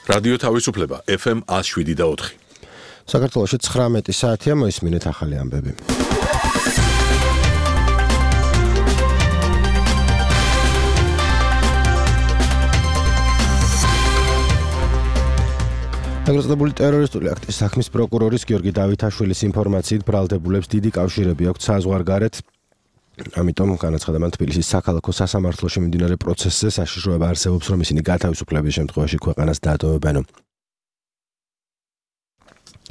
რადიო თავისუფლება FM 107.4. საქართველოში 19 საათია, მოისმინეთ ახალი ამბები. დაგრძელებული ტერორისტული აქტის საქმის პროკურორის გიორგი დავითაშვილის ინფორმაციით ბრალდებულებს დიდი კავშირები აქვთ საზღვარგარეთ. ამიტომ განაცხადა მან თბილისის საქალაქო სასამართლოში მიმდინარე პროცესზე საშიშროება არსებობს, რომ ისინი გათავისუფლების შემთხვევაში ქვეყანას დაატოვებენ.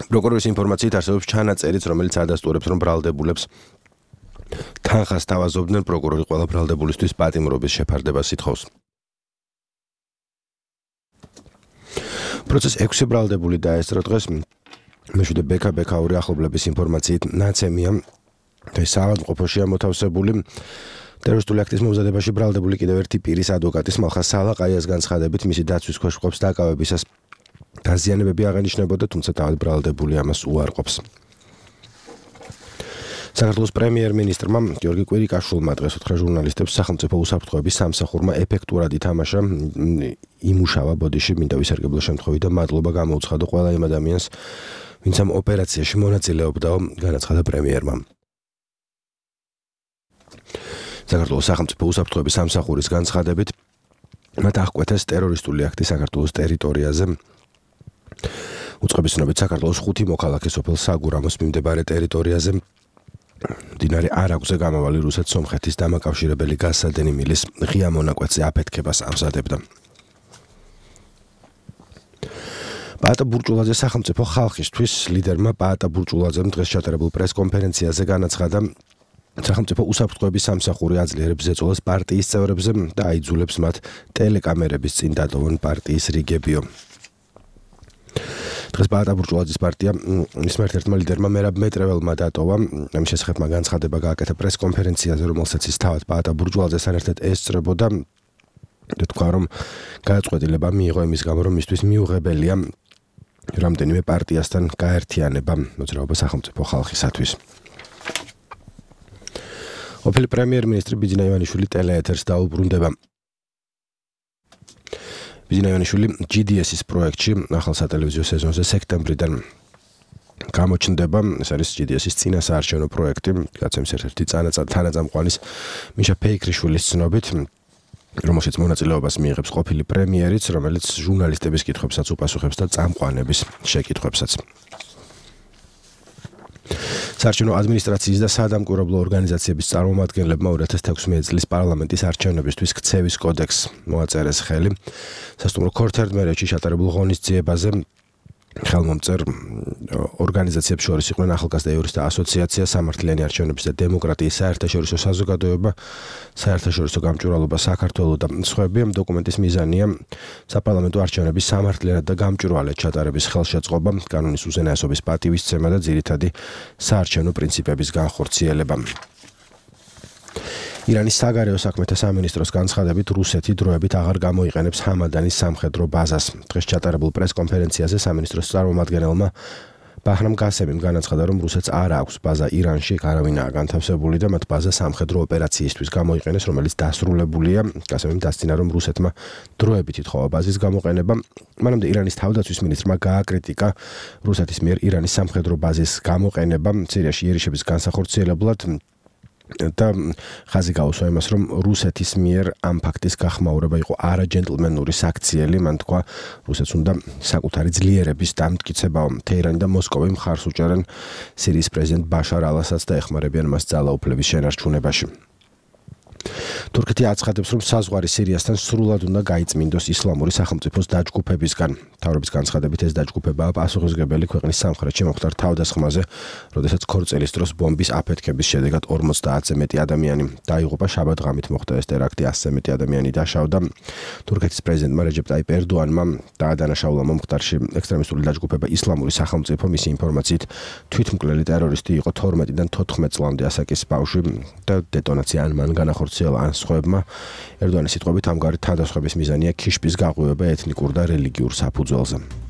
პროკურორის ინფორმაციით არსებობს ჩანაწერიც, რომელიც ადასტურებს, რომ ბრალდებულებს თანხას თავაზობდნენ, პროკურორი ყველა ბრალდებულისთვის პატიმრობის შეფარდებას ითხოვს. პროცესს 6 ბრალდებული დაესწრო დღეს. მეშვიდე ბექაური ახლობლების ინფორმაციით ნაცემია და საავადმყოფოშია მოთავსებული. ტერორისტული აქტის მომზადებაში ბრალდებული კიდევ ერთი პირის ადვოკატის მალხა სალაყაიას განცხადებით, მისი დაცვის ქვეშ ყოფს დაკავებისას დაზიანებები აღენიშნებოდა, თუმცა თავად ბრალდებული ამას უარყოფს. საქართველოს პრემიერ-მინისტრმა გიორგი კვირიკაშვილმა დღეს უთხრა ჟურნალისტებს, სახელმწიფო უსაფრთხოების სამსახურმა ეფექტურად ითამაშა, იმუშავა ბოდიში, მინდა ვისარგებლო შემთხვევით და მადლობა გამოუცხადო ყველა იმ ადამიანს, ვინც ამ ოპერაციაში მონაწილეობდაო, განაცხადა პრემიერმა. საქართველოს სახელმწიფო უსაფრთხოების სამსახურის განცხადებით, მათ აღკვეთეს ტერორისტული აქტი საქართველოს ტერიტორიაზე. უწყების ცნობით საქართველოს 5 მოქალაქე სოფელ საგურამოს მიმდებარე ტერიტორიაზე მდინარე არაგვზე გამავალი რუსეთ-სომხეთის დამაკავშირებელი გაზსადენი მილის ღია მონაკვეთზე აფეთქებას ამზადებდა. პაატა ბურჭულაძე სახელმწიფო ხალხისთვის ლიდერმა პაატა ბურჭულაძემ დღეს ჩატარებულ პრესკონფერენციაზე განაცხადა, სახელმწიფო უსაფრთხოების სამსახური აძლიერებს ზეწოლას პარტიის წევრებზე და აიძულებს მათ ტელეკამერების წინ დატოვონ პარტიის რიგებიო. დღეს პაატა ბურჭულაძის პარტია მისმა ერთ-ერთმა ლიდერმა მერაბ მეტრეველმა დატოვა. ამის შესახებ მან განცხადება გააკეთა პრესკონფერენციაზე, რომელსაც ის თავად პაატა ბურჭულაძესთან ერთად ესწრებოდა და თქვა, რომ გადაწყვეტილება მიიღო იმის გამო, რომ მისთვის მიუღებელია რამდენიმე პარტიასთან გაერთიანება მოძრაობა სახელმწიფო ხალხისათვის. ყოფილი პრემიერ-მინისტრი ბიძინა ივანიშვილი ტელეეთერს დაუბრუნდება. ბიძინა ივანიშვილი GDS-ის პროექტში ახალ სატელევიზიო სეზონზე სექტემბრიდან გამოჩნდება. ეს არის GDS-ის წინასაარჩევნო პროექტი, გაცემის ერთ-ერთი თანაწამყვანის მიშა ფეიქრიშვილის ცნობით, რომელშიც მონაწილეობას მიიღებს ყოფილი პრემიერიც, რომელიც ჟურნალისტების კითხვებსაც უპასუხებს და წამყვანების შეკითხვებსაც. საარჩევნო ადმინისტრაციის და სადამკვირვებლო ორგანიზაციების წარმომადგენლებმა 2016 წლის პარლამენტის არჩევნებისთვის ქცევის კოდექსს მოაწერეს ხელი. სასტუმრო ქორთერდმერეთში ჩატარებულ ღონისძიებაზე ხელმომწერ ორგანიზაციებს შორის იყვნენ ახალგაზრდა იურისტთა ასოციაცია, სამართლიანი არჩევნების და დემოკრატიის საერთაშორისო საზოგადოება, საერთაშორისო გამჭვირვალობა საქართველოს და სხვები. ამ დოკუმენტის მიზანია საპარლამენტო არჩევნების სამართლიანად და გამჭვირვალედ ჩატარების ხელშეწყობა, კანონის უზენაესობის პატივისცემა და ძირითადი საარჩევნო პრინციპების განხორციელება. ირანის საგარეო საქმეთა სამინისტროს განცხადებით, რუსეთი დროებით აღარ გამოიყენებს ჰამადანის სამხედრო ბაზას. დღეს ჩატარებულ პრესკონფერენციაზე სამინისტროს წარმომადგენელმა ბაჰრამ გასემიმ განაცხადა, რომ რუსეთს არ აქვს ბაზა ირანში, არავინაა განთავსებული და მათ ბაზა სამხედრო ოპერაციისთვის გამოიყენეს, რომელიც დასრულებულია. გასემიმ დასძინა, რომ რუსეთმა დროებით ითხოვა ბაზის გამოყენება. მანამდე ირანის თავდაცვის მინისტრმა გააკრიტიკა რუსეთის მიერ ირანის სამხედრო ბაზის გამოყენება სირიაში იერიშების განსახორციელებლად და ხაზი გაუსვა იმას, რომ რუსეთის მიერ ამ ფაქტის გახმაურება იყო არაჯენტლმენური საქციელი. მან თქვა, რუსეთს უნდა საკუთარი ძლიერების დამტკიცებაო. თეირანი და მოსკოვი მხარს უჭერენ სირიის პრეზიდენტ ბაშარ ალ-ასადს და ეხმარებიან მას ძალაუფლების შენარჩუნებაში. თურქეთი აცხადებს, რომ საზღვარი სირიასთან სრულად უნდა გაიწმინდოს ისლამური სახელმწიფოს დაჯგუფებისგან. მთავრობის განცხადებით, ეს დაჯგუფებაა პასუხისმგებელი ქვეყნის სამხრეთში მომხდარ თავდასხმაზე, როდესაც ქორწილის დროს ბომბის აფეთქების შედეგად 50-ზე მეტი ადამიანი დაიღუპა. შაბათ-ღამით მოხდა ეს ტერაქტი, 100-ზე მეტი ადამიანი დაშავდა. თურქეთის პრეზიდენტმა რეჯეპ ტაიპ ერდოანმა დაადანაშაულა მომხდარში ექსტრემისტული დაჯგუფება ისლამური სახელმწიფო. მისი ინფორმაციით, თვითმკვლელი ტერორისტი იყო 12-დან 14 წლამდე ასაკის ბავშვი და დეტონაცია ან მან განახორციელა ან სხვებმა. ერდოანის სიტყვებით, ამგვარი თავდასხმების მიზანია ქიშპის გაღვივება ეთნიკურ და რელიგიურ საფუძველზე.